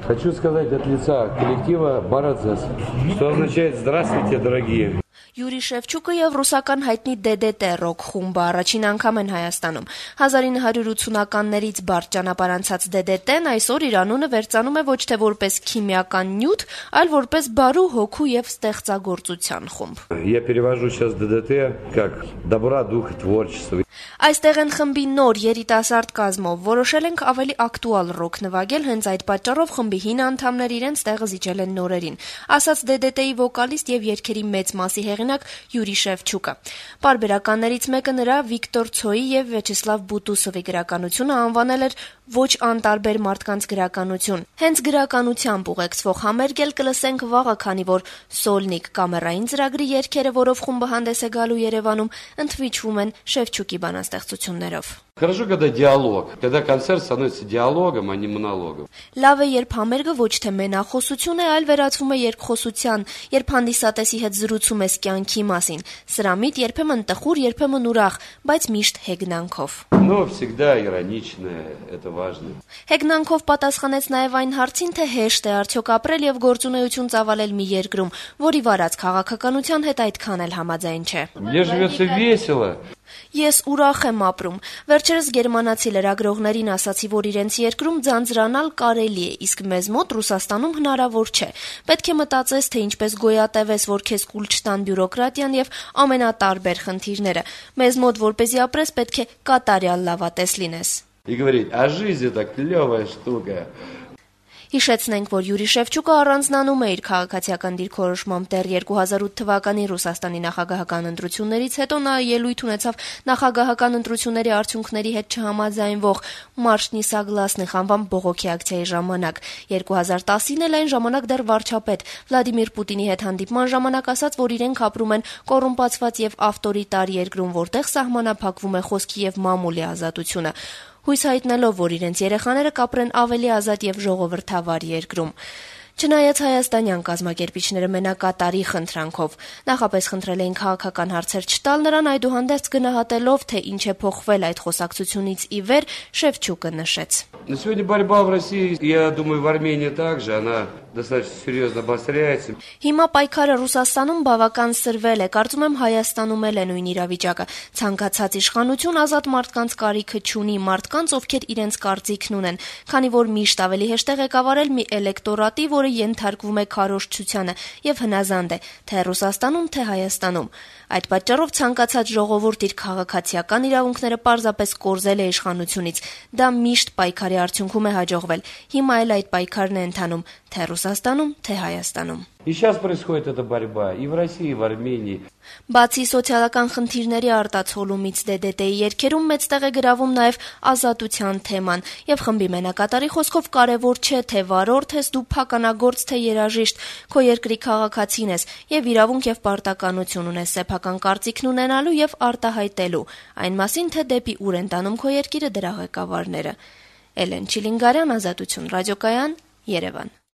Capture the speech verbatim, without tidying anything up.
Хочу сказать от лица коллектива «Барадзес», что означает «Здравствуйте, дорогие». Յուրի Շևչուկը եւ ռուսական հայտնի դե դե տե ռոք խումբը առաջին անգամ են Հայաստանում։ հազար ինը հարյուր ութսունականներից բարդ ճանապարհ անցած դե դե տեն այսօր իր անունը վերծանում է ոչ թե որպես քիմիական նյութ, այլ որպես բարու, հոգու եւ ստեղծագործության խումբ։ Я перевожу сейчас дэ дэ тэ как добра, духа, творчества. Այստեղ են խմբի նոր երիտասարդ կազմով որոշել ենք ավելի ակտուալ ռոք նվագել, հենց այդ պատճառով խմբի հին անդամներ իրենց տեղը զիջել են նորերին, ասաց դե դե տեի վոկալիստ եւ երգերի մեծ մասի հեղինակ Յուրի Շևչուկը։ Պարբերականներից մեկը նրա Վիկտոր Ցոյի եւ Վյաչեսլավ Բուտուսովի գրականությունը անվանել էր ոչ անտարբեր մարդկանց գրականություն։ Հենց գրականությամբ ուղեկցվող համերգ էլ կլսենք վաղը, քանի որ Սոլնիկ կամերային ծրագրի երգերը, որով խումբը հանդես է գալու Երևանում, ընդվիճվում են Շևչուկի բանաստեղծություններով։ Хорошо, когда диалог, когда концерт становится диалогом, а не монологом. Լավ է, երբ համերգը ոչ թե մենախոսություն է, այլ վերածվում է երկխոսության, երբ հանդիսատեսի հետ զրուցում ես կյանքի մասին։ Սրամիտ երբեմն տխուր, երբեմն ուրախ, բայց միշտ հեգնանքով։ Но всегда ироничное, это важно. Հեգնանքով պատասխանեց նաև այն հարցին, թե հեշտ է արդյոք ապրել եւ գործունեություն ծավալել մի երկրում, որի վարած քաղաքականության հետ այդքան էլ համաձայն չէ։ Мне живется весело. Ես ուրախ եմ ապրում։ Վերջերս գերմանացի լրագրողներին ասացի, որ իրենց երկրում ձանձրանալ կարելի է, իսկ մեզ մոտ Ռուսաստանում հնարավոր չէ։ Պետք է մտածես, թե ինչպես գոյատևես, որ քեզ կուլ չտան բյուրոկրատիան եւ ամենատարբեր խնդիրները։ Մեզ մոտ որպեսզի ապրես, պետք է կատարյալ լավատես լինես։ И говорить, а жизнь это клевая штука. Հիշեցնենք, որ Յուրի Շևչուկը առանձնանում է իր քաղաքացիական դիրքորոշմամբ դեռ երկու հազար ութ թվականի Ռուսաստանի նախագահական ընտրություններից հետո նա ելույթ ունեցավ նախագահական ընտրությունների արդյունքների հետ չհամաձայնվող Մարշնի Սագլասնիխ անվան բողոքի ակցիայի ժամանակ։ երկու հազար տասին էլ այն ժամանակ դեռ վարչապետ Վլադիմիր Պուտինի հետ հանդիպման ժամանակ ասաց, որ իրենք ապրում են կոռումպացված եւ ավտորիտար երկրում, որտեղ սահմանափակվում է խոսքի եւ մամուլի ազատությունը։ Հույս հայտնելով, որ իրենց երեխաները կապրեն ավելի ազատ եւ ժողովրդավար երկրում։ Չնայած հայաստանյան կազմակերպիչները մենակատարի խնդրանքով նախապես խնդրել էին քաղաքական հարցեր չտալ նրան, այդուհանդերձ գնահատելով, թե ինչ է փոխվել այդ խոսակցությունից ի վեր, Շևչուկը նշեց. На сегодня борьба в России, я думаю, в Армении также, она достаточно серьезно обостряется. Հիմա պայքարը Ռուսաստանում բավական սրվել է, կարծում եմ Հայաստանում էլ է նույն իրավիճակը։ Ցանկացած իշխանություն ազատ մարդկանց կարիքը չունի, մարդկանց, ովքեր իրենց կարծիքն ունեն, քանի որ միշտ ավելի հեշտ է ղեկավարել մի էլեկտորատի, որը ենթարկվում է քարոզչությանը եւ հնազանդ է, թե Ռուսաստանում, թե Հայաստանում։ Այդ պատճառով ցանկացած ժողովուրդ իր քաղաքացիական իրավունքները պարզապես կորզել է իշխանությունից։ Դա միշտ պայքարի արդյունքում է հաջողվել։ Հիմա էլ այդ պայքարն է ընթանում, թե Ռուսաստանում, թե Հայաստանում։ И сейчас происходит эта борьба и в России, и в Армении. Բացի սոցիալական խնդիրների արտացոլումից դե դե տեի երգերում մեծ տեղ է գրավում նաև ազատության թեման, եւ խմբի մենակատարի խոսքով կարևոր չէ, թե վարորդ ես դու, փականագործ թե երաժիշտ, քո երկրի քաղաքացին ես եւ իրավունք եւ պարտականություն ունես սեփական կարծիքն ունենալու եւ արտահայտելու, այն մասին, թե դեպի ուր են տանում քո երկիրը դրա ղեկավարները։ Էլեն Չիլինգարյան, Ազատություն ռադիոկայան, Երևան։